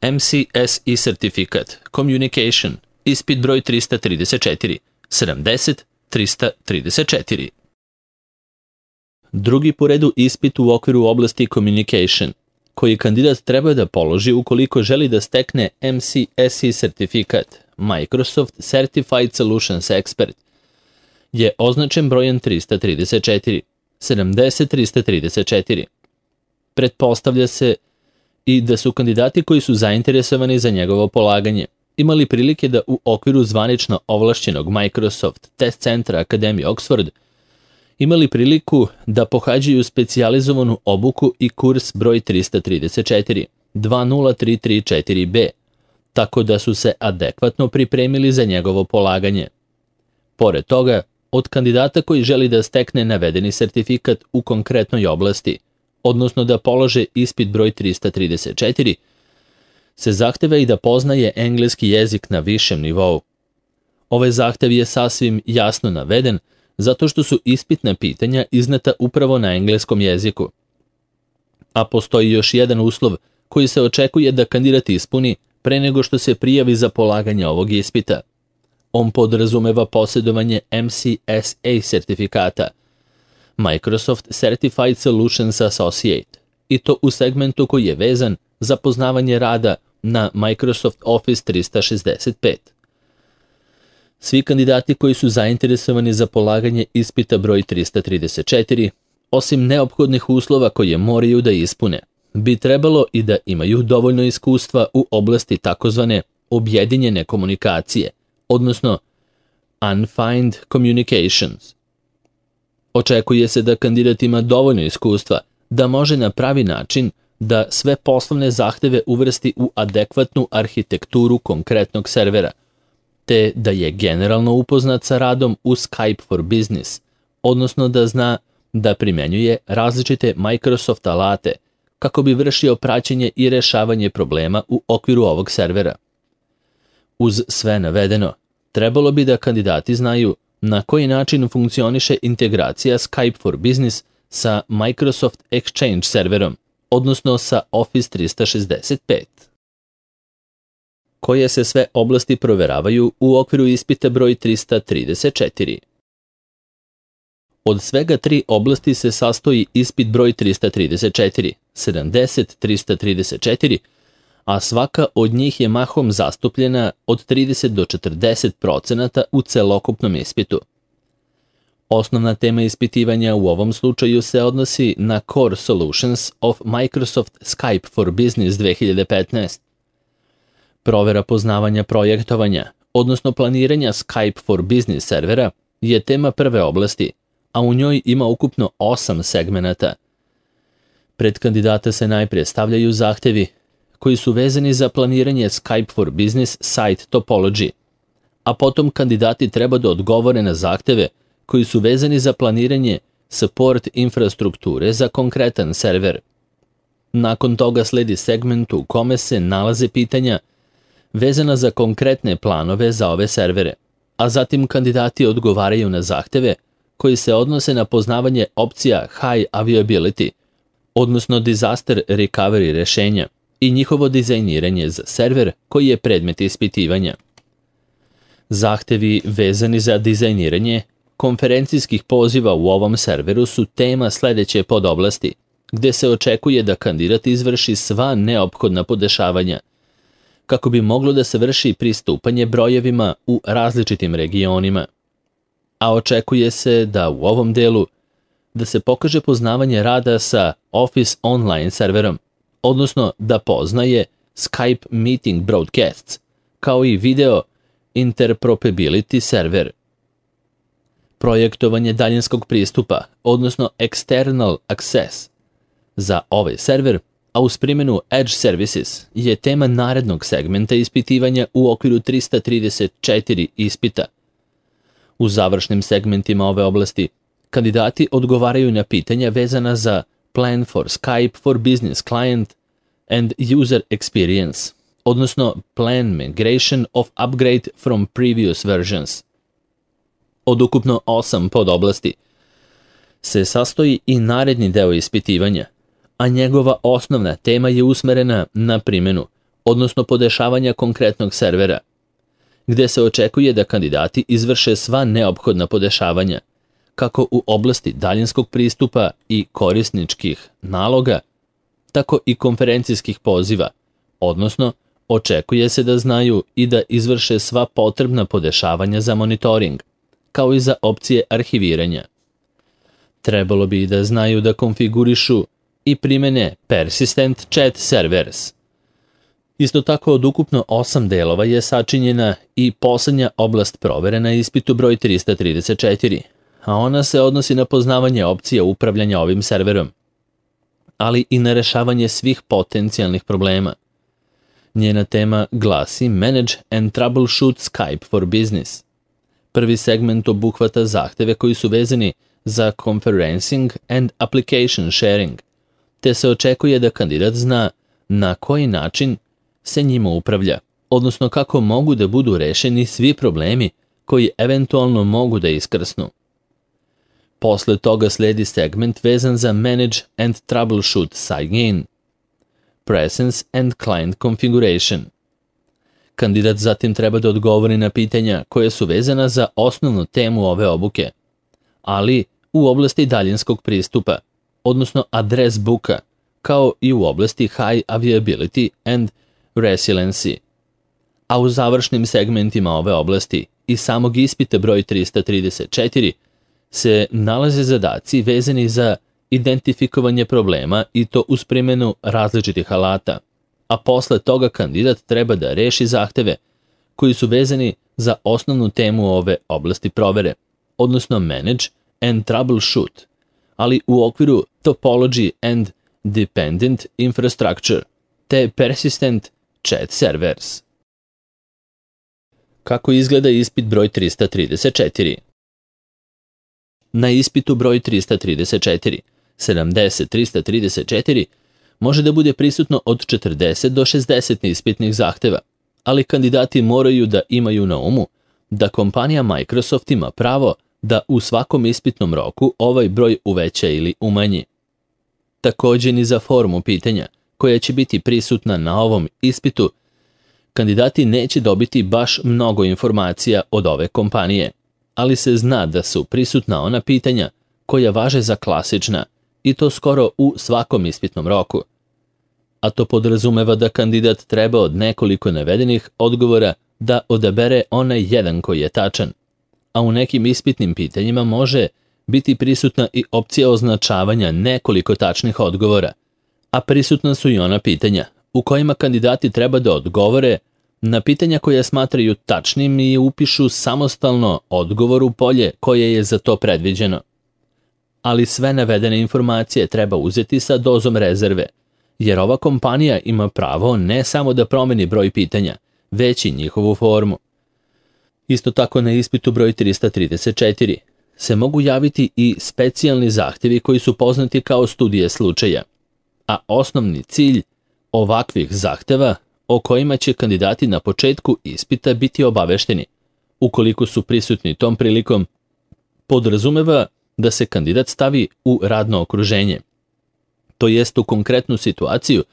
MCSE sertifikat Communication, ispit broj 334, 70-334. Drugi po redu ispit u okviru oblasti Communication, koji kandidat treba da položi ukoliko želi da stekne MCSE sertifikat Microsoft Certified Solutions Expert, je označen brojem 334, 70-334. Pretpostavlja se i da su kandidati koji su zainteresovani za njegovo polaganje imali prilike da u okviru zvanično ovlašćenog Microsoft Test Centra Akademije Oxford imali priliku da pohađaju specijalizovanu obuku i kurs broj 334, 20334B, tako da su se adekvatno pripremili za njegovo polaganje. Pored toga, od kandidata koji želi da stekne navedeni sertifikat u konkretnoj oblasti, odnosno da polože ispit broj 334, se zahteva i da poznaje engleski jezik na višem nivou. Ovaj zahtev je sasvim jasno naveden zato što su ispitna pitanja izneta upravo na engleskom jeziku. A postoji još jedan uslov koji se očekuje da kandidat ispuni pre nego što se prijavi za polaganje ovog ispita. On podrazumeva posjedovanje MCSA sertifikata, Microsoft Certified Solutions Associate, i to u segmentu koji je vezan za poznavanje rada na Microsoft Office 365. Svi kandidati koji su zainteresovani za polaganje ispita broj 334, osim neophodnih uslova koje moraju da ispune, bi trebalo i da imaju dovoljno iskustva u oblasti takozvane objedinjene komunikacije, odnosno Undefined Communications. Očekuje se da kandidat ima dovoljno iskustva da može na pravi način da sve poslovne zahteve uvrsti u adekvatnu arhitekturu konkretnog servera, te da je generalno upoznat sa radom u Skype for Business, odnosno da zna da primenjuje različite Microsoft alate kako bi vršio praćenje i rešavanje problema u okviru ovog servera. Uz sve navedeno, trebalo bi da kandidati znaju na koji način funkcioniše integracija Skype for Business sa Microsoft Exchange serverom, odnosno sa Office 365. Koje se sve oblasti proveravaju u okviru ispita broj 334. Od svega 3 oblasti se sastoji ispit broj 334, 70-334, a svaka od njih je mahom zastupljena od 30 do 40% u celokupnom ispitu. Osnovna tema ispitivanja u ovom slučaju se odnosi na Core Solutions of Microsoft Skype for Business 2015. Provera poznavanja projektovanja, odnosno planiranja Skype for Business servera, je tema prve oblasti, a u njoj ima ukupno 8 segmenata. Pred kandidata se najprije stavljaju zahtevi koji su vezani za planiranje Skype for Business site topology, a potom kandidati treba da odgovore na zahteve koji su vezani za planiranje support infrastrukture za konkretan server. Nakon toga sledi segment u kome se nalaze pitanja vezana za konkretne planove za ove servere, a zatim kandidati odgovaraju na zahteve koji se odnose na poznavanje opcija High Availability, odnosno Disaster Recovery rešenja, i njihovo dizajniranje za server koji je predmet ispitivanja. Zahtevi vezani za dizajniranje konferencijskih poziva u ovom serveru su tema sledeće podoblasti, gde se očekuje da kandidat izvrši sva neophodna podešavanja, kako bi moglo da se vrši pristupanje brojevima u različitim regionima. A očekuje se da u ovom delu da se pokaže poznavanje rada sa Office Online serverom, odnosno da poznaje Skype Meeting Broadcasts, kao i video interoperability server. Projektovanje daljinskog pristupa, odnosno External Access, za ovaj server, a uz primjenu Edge Services, je tema narednog segmenta ispitivanja u okviru 334 ispita. U završnim segmentima ove oblasti, kandidati odgovaraju na pitanja vezana za Plan for Skype for Business Client and User Experience, odnosno Plan Migration of Upgrade from Previous Versions. Od ukupno 8 podoblasti se sastoji i naredni deo ispitivanja, a njegova osnovna tema je usmerena na primjenu odnosno podešavanja konkretnog servera, gde se očekuje da kandidati izvrše sva neophodna podešavanja, kako u oblasti daljinskog pristupa i korisničkih naloga, tako i konferencijskih poziva, odnosno očekuje se da znaju i da izvrše sva potrebna podešavanja za monitoring, kao i za opcije arhiviranja. Trebalo bi da znaju da konfigurišu i primene Persistent Chat Servers. Isto tako od ukupno 8 delova je sačinjena i poslednja oblast provere na ispitu broj 334, a ona se odnosi na poznavanje opcija upravljanja ovim serverom, ali i na rešavanje svih potencijalnih problema. Njena tema glasi Manage and Troubleshoot Skype for Business. Prvi segment obuhvata zahteve koji su vezani za conferencing and application sharing, te se očekuje da kandidat zna na koji način se njima upravlja, odnosno kako mogu da budu rešeni svi problemi koji eventualno mogu da iskrsnu. Posle toga sledi segment vezan za Manage and Troubleshoot Sign-in, Presence and Client Configuration. Kandidat zatim treba da odgovori na pitanja koje su vezana za osnovnu temu ove obuke, ali u oblasti daljinskog pristupa, odnosno adres booka, kao i u oblasti High Availability and Resiliency. A u završnim segmentima ove oblasti i samog ispita broj 334 se nalaze zadaci vezani za identifikovanje problema i to uz primjenu različitih alata, a posle toga kandidat treba da reši zahteve koji su vezani za osnovnu temu ove oblasti provere, odnosno Manage and Troubleshoot, ali u okviru Topology and Dependent Infrastructure te Persistent Chat Servers. Kako izgleda ispit broj 334? Na ispitu broj 334, 70-334, može da bude prisutno od 40 do 60 ispitnih zahteva, ali kandidati moraju da imaju na umu da kompanija Microsoft ima pravo da u svakom ispitnom roku ovaj broj uveća ili umanji. Takođe ni za formu pitanja, koja će biti prisutna na ovom ispitu, kandidati neće dobiti baš mnogo informacija od ove kompanije, ali se zna da su prisutna ona pitanja koja važe za klasična, i to skoro u svakom ispitnom roku. A to podrazumeva da kandidat treba od nekoliko navedenih odgovora da odabere onaj jedan koji je tačan, a u nekim ispitnim pitanjima može biti prisutna i opcija označavanja nekoliko tačnih odgovora, a prisutna su i ona pitanja u kojima kandidati treba da odgovore na pitanja koja smatraju tačnim i upišu samostalno odgovor u polje koje je za to predviđeno. Ali sve navedene informacije treba uzeti sa dozom rezerve, jer ova kompanija ima pravo ne samo da promeni broj pitanja, već i njihovu formu. Isto tako na ispitu broj 334 se mogu javiti i specijalni zahtevi koji su poznati kao studije slučaja, a osnovni cilj ovakvih zahteva o kojima će kandidati na početku ispita biti obavešteni, ukoliko su prisutni tom prilikom, podrazumeva da se kandidat stavi u radno okruženje, to jest u konkretnu situaciju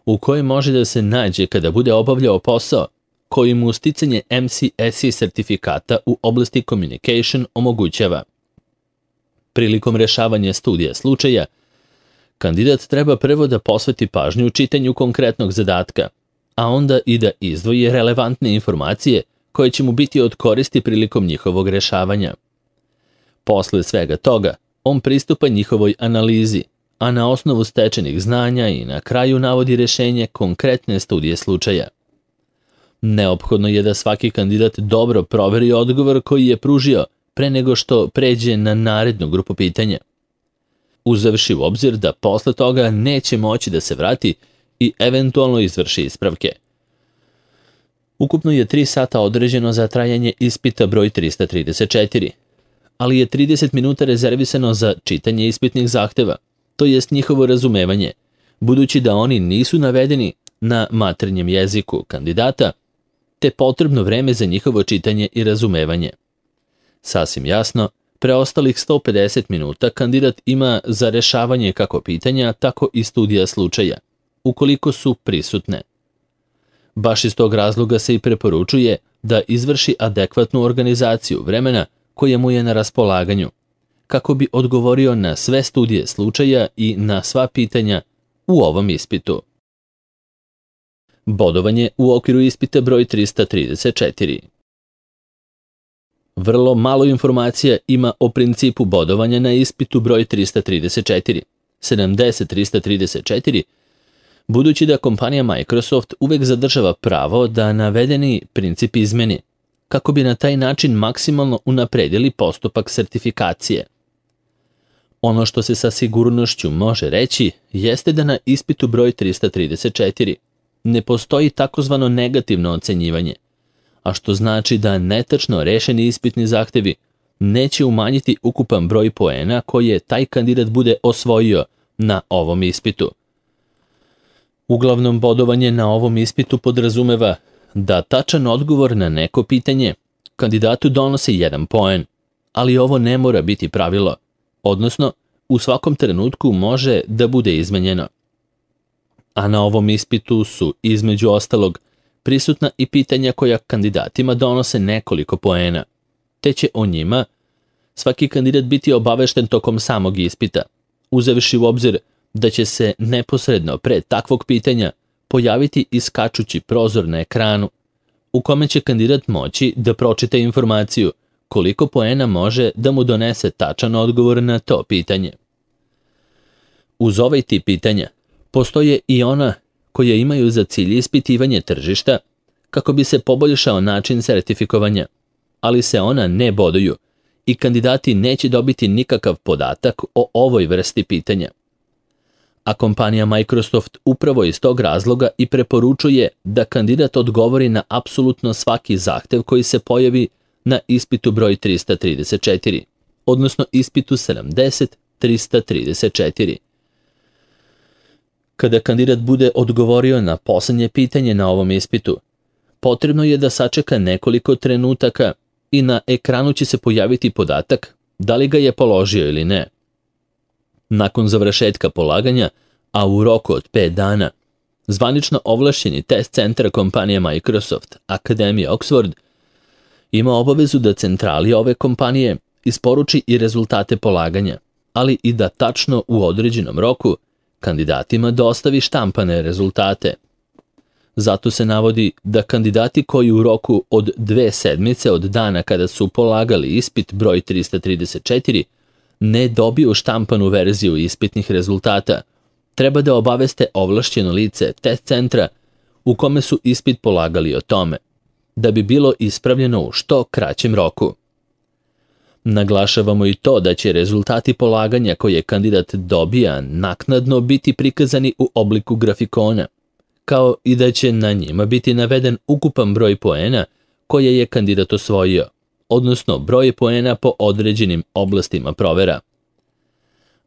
u kojoj može da se nađe kada bude obavljao posao koji mu sticanje MCSE sertifikata u oblasti communication omogućava. Prilikom rešavanja studija slučaja, kandidat treba prvo da posveti pažnju čitanju konkretnog zadatka, a onda i da izdvoji relevantne informacije koje će mu biti od koristi prilikom njihovog rešavanja. Posle svega toga, on pristupa njihovoj analizi, a na osnovu stečenih znanja i na kraju navodi rešenje konkretne studije slučaja. Neophodno je da svaki kandidat dobro proveri odgovor koji je pružio pre nego što pređe na narednu grupu pitanja, uzevši u obzir da posle toga neće moći da se vrati i eventualno izvrši ispravke. Ukupno je 3 sata određeno za trajanje ispita broj 334, ali je 30 minuta rezervisano za čitanje ispitnih zahteva, to jest njihovo razumevanje, budući da oni nisu navedeni na maternjem jeziku kandidata, te potrebno vreme za njihovo čitanje i razumevanje. Sasvim jasno, preostalih 150 minuta kandidat ima za rešavanje kako pitanja, tako i studija slučaja, ukoliko su prisutne. Baš iz tog razloga se i preporučuje da izvrši adekvatnu organizaciju vremena koje mu je na raspolaganju, kako bi odgovorio na sve studije slučaja i na sva pitanja u ovom ispitu. Bodovanje u okviru ispita broj 334. Vrlo malo informacija ima o principu bodovanja na ispitu broj 334, 70-334, budući da kompanija Microsoft uvek zadržava pravo da navedeni princip izmeni, kako bi na taj način maksimalno unapredili postupak sertifikacije. Ono što se sa sigurnošću može reći jeste da na ispitu broj 334 ne postoji takozvano negativno ocenjivanje, a što znači da netačno rešeni ispitni zahtevi neće umanjiti ukupan broj poena koje taj kandidat bude osvojio na ovom ispitu. Uglavnom, bodovanje na ovom ispitu podrazumeva da tačan odgovor na neko pitanje kandidatu donosi 1 poen, ali ovo ne mora biti pravilo, odnosno u svakom trenutku može da bude izmenjeno. A na ovom ispitu su, između ostalog, prisutna i pitanja koja kandidatima donose nekoliko poena, te će o njima svaki kandidat biti obavešten tokom samog ispita, uzevši u obzir da će se neposredno pre takvog pitanja pojaviti iskačući prozor na ekranu, u kome će kandidat moći da pročita informaciju koliko poena može da mu donese tačan odgovor na to pitanje. Uz ovaj tip pitanja postoje i ona koje imaju za cilj ispitivanje tržišta kako bi se poboljšao način sertifikovanja, ali se ona ne boduju i kandidati neće dobiti nikakav podatak o ovoj vrsti pitanja. A kompanija Microsoft upravo iz tog razloga i preporučuje da kandidat odgovori na apsolutno svaki zahtev koji se pojavi na ispitu broj 334, odnosno ispitu 70-334. Kada kandidat bude odgovorio na poslednje pitanje na ovom ispitu, potrebno je da sačeka nekoliko trenutaka i na ekranu će se pojaviti podatak da li ga je položio ili ne. Nakon završetka polaganja, a u roku od 5 dana, zvanično ovlašćeni test centar kompanije Microsoft, Akademija Oxford, ima obavezu da centrali ove kompanije isporuči i rezultate polaganja, ali i da tačno u određenom roku kandidatima dostavi štampane rezultate. Zato se navodi da kandidati koji u roku od 2 sedmice od dana kada su polagali ispit broj 334 ne dobiju štampanu verziju ispitnih rezultata, treba da obaveste ovlašćeno lice test centra u kome su ispit polagali o tome, da bi bilo ispravljeno u što kraćem roku. Naglašavamo i to da će rezultati polaganja koje kandidat dobija naknadno biti prikazani u obliku grafikona, kao i da će na njima biti naveden ukupan broj poena koje je kandidat osvojio, odnosno broj poena po određenim oblastima provera.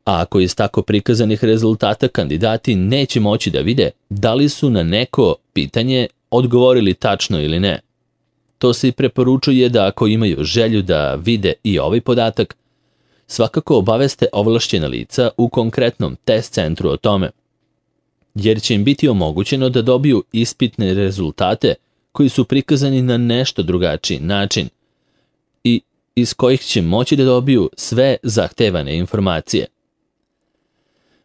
A ako iz tako prikazanih rezultata kandidati neće moći da vide da li su na neko pitanje odgovorili tačno ili ne, to se i preporučuje da ako imaju želju da vide i ovaj podatak, svakako obaveste ovlašćena lica u konkretnom test centru o tome, jer će im biti omogućeno da dobiju ispitne rezultate koji su prikazani na nešto drugačiji način i iz kojih će moći da dobiju sve zahtevane informacije.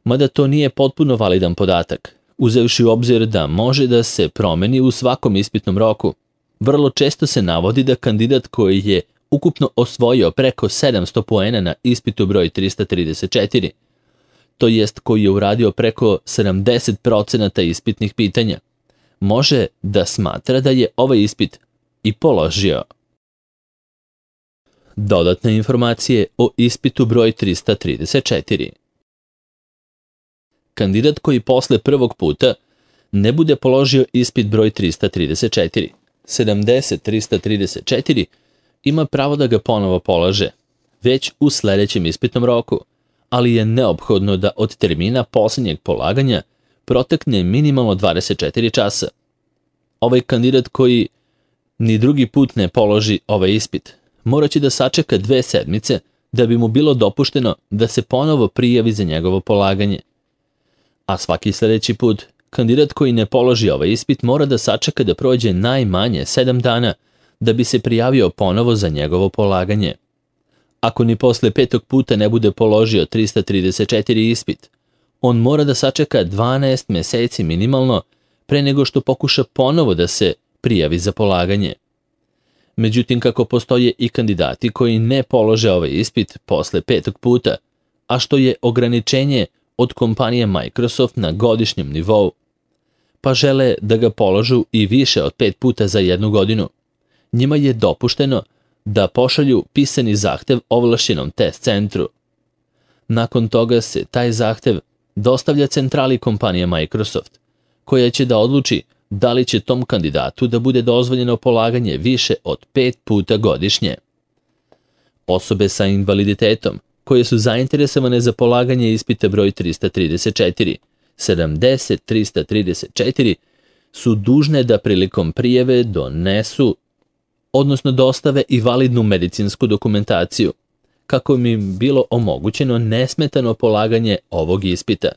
Mada to nije potpuno validan podatak, uzevši u obzir da može da se promeni u svakom ispitnom roku. Vrlo često se navodi da kandidat koji je ukupno osvojio preko 700 poena na ispitu broj 334, to jest koji je uradio preko 70% ispitnih pitanja, može da smatra da je ovaj ispit i položio. Dodatne informacije o ispitu broj 334. Kandidat koji posle prvog puta ne bude položio ispit broj 334, 70-334, ima pravo da ga ponovo polaže, već u sledećem ispitnom roku, ali je neophodno da od termina poslednjeg polaganja protekne minimalno 24 časa. Ovaj kandidat koji ni drugi put ne položi ovaj ispit, moraće da sačeka 2 sedmice da bi mu bilo dopušteno da se ponovo prijavi za njegovo polaganje. A svaki sledeći put, Kandidat koji ne položi ovaj ispit mora da sačeka da prođe najmanje 7 dana da bi se prijavio ponovo za njegovo polaganje. Ako ni posle 5. puta ne bude položio 334 ispit, on mora da sačeka 12 meseci minimalno pre nego što pokuša ponovo da se prijavi za polaganje. Međutim, kako postoje i kandidati koji ne polože ovaj ispit posle 5. puta, a što je ograničenje od kompanije Microsoft na godišnjem nivou, pa žele da ga položu i više od 5 puta za 1 godinu, njima je dopušteno da pošalju pisani zahtev ovlašćenom test centru. Nakon toga se taj zahtev dostavlja centrali kompanije Microsoft, koja će da odluči da li će tom kandidatu da bude dozvoljeno polaganje više od 5 puta godišnje. Osobe sa invaliditetom koje su zainteresovane za polaganje ispita broj 334, 70-334, su dužne da prilikom prijave dostave i validnu medicinsku dokumentaciju, kako bi im bilo omogućeno nesmetano polaganje ovog ispita.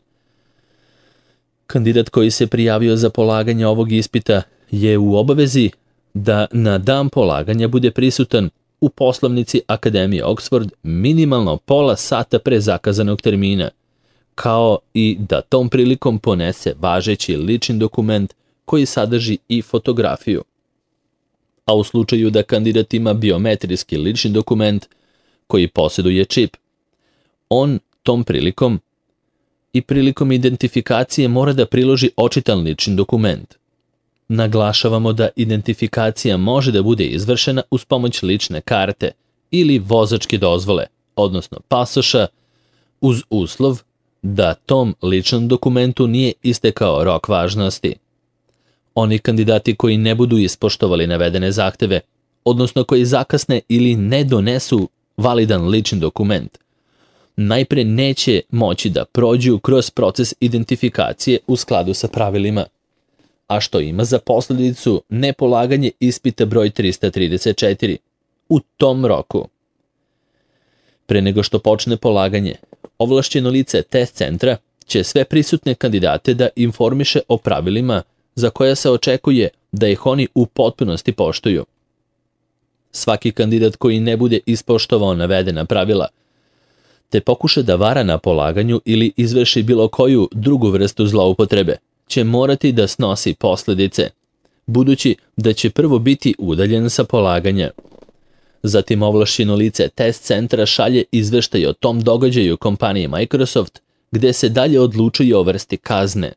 Kandidat koji se prijavio za polaganje ovog ispita je u obavezi da na dan polaganja bude prisutan u poslovnici Akademije Oxford minimalno pola sata pre zakazanog termina, kao i da tom prilikom ponese važeći lični dokument koji sadrži i fotografiju. A u slučaju da kandidat ima biometrijski lični dokument koji posjeduje čip, on tom prilikom identifikacije mora da priloži očitan lični dokument. Naglašavamo da identifikacija može da bude izvršena uz pomoć lične karte ili vozačke dozvole, odnosno pasoša, uz uslov da tom ličnom dokumentu nije istekao rok važnosti. Oni kandidati koji ne budu ispoštovali navedene zahteve, odnosno koji zakasne ili ne donesu validan lični dokument, najpre neće moći da prođu kroz proces identifikacije u skladu sa pravilima, a što ima za posledicu nepolaganje ispita broj 334 u tom roku. Pre nego što počne polaganje, ovlašćeno lice test centra će sve prisutne kandidate da informiše o pravilima za koja se očekuje da ih oni u potpunosti poštuju. Svaki kandidat koji ne bude ispoštovao navedena pravila, te pokuša da vara na polaganju ili izvrši bilo koju drugu vrstu zloupotrebe, će morati da snosi posledice, budući da će prvo biti udaljen sa polaganja. Zatim ovlašćeno lice test centra šalje izveštaj o tom događaju kompaniji Microsoft, gde se dalje odlučuje o vrsti kazne.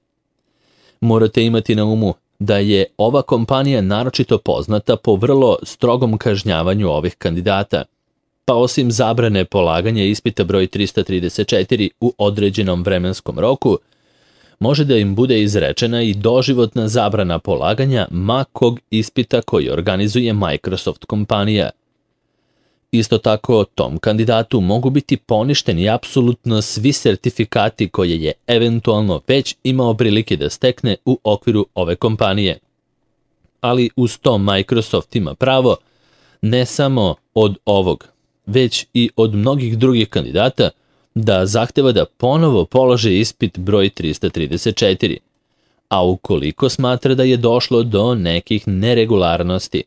Morate imati na umu da je ova kompanija naročito poznata po vrlo strogom kažnjavanju ovih kandidata, pa osim zabrane polaganja ispita broj 334 u određenom vremenskom roku, može da im bude izrečena i doživotna zabrana polaganja ma kog ispita koji organizuje Microsoft kompanija. Isto tako, tom kandidatu mogu biti poništeni apsolutno svi sertifikati koje je eventualno već imao prilike da stekne u okviru ove kompanije. Ali uz to Microsoft ima pravo ne samo od ovog, već i od mnogih drugih kandidata da zahteva da ponovo polože ispit broj 334, a ukoliko smatra da je došlo do nekih neregularnosti.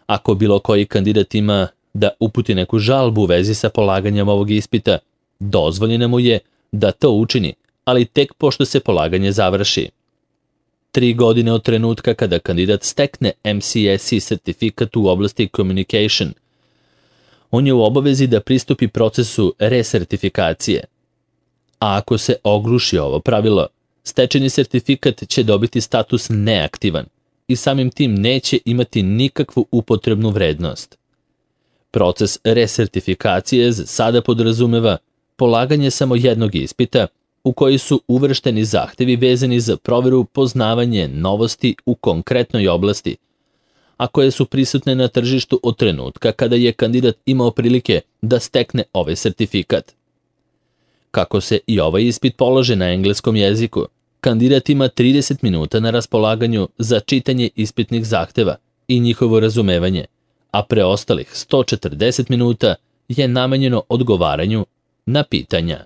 Ako bilo koji kandidat ima da uputi neku žalbu u vezi sa polaganjem ovog ispita, dozvoljeno mu je da to učini, ali tek pošto se polaganje završi. 3 godine od trenutka kada kandidat stekne MCSE sertifikat u oblasti communication, on je u obavezi da pristupi procesu resertifikacije. A ako se ogluši ovo pravilo, stečeni sertifikat će dobiti status neaktivan i samim tim neće imati nikakvu upotrebnu vrednost. Proces resertifikacije sada podrazumeva polaganje samo jednog ispita u koji su uvršteni zahtevi vezani za proveru poznavanje novosti u konkretnoj oblasti, a koje su prisutne na tržištu od trenutka kada je kandidat imao prilike da stekne ovaj sertifikat. Kako se i ovaj ispit polože na engleskom jeziku, kandidat ima 30 minuta na raspolaganju za čitanje ispitnih zahteva i njihovo razumevanje, a preostalih 140 minuta je namenjeno odgovaranju na pitanja.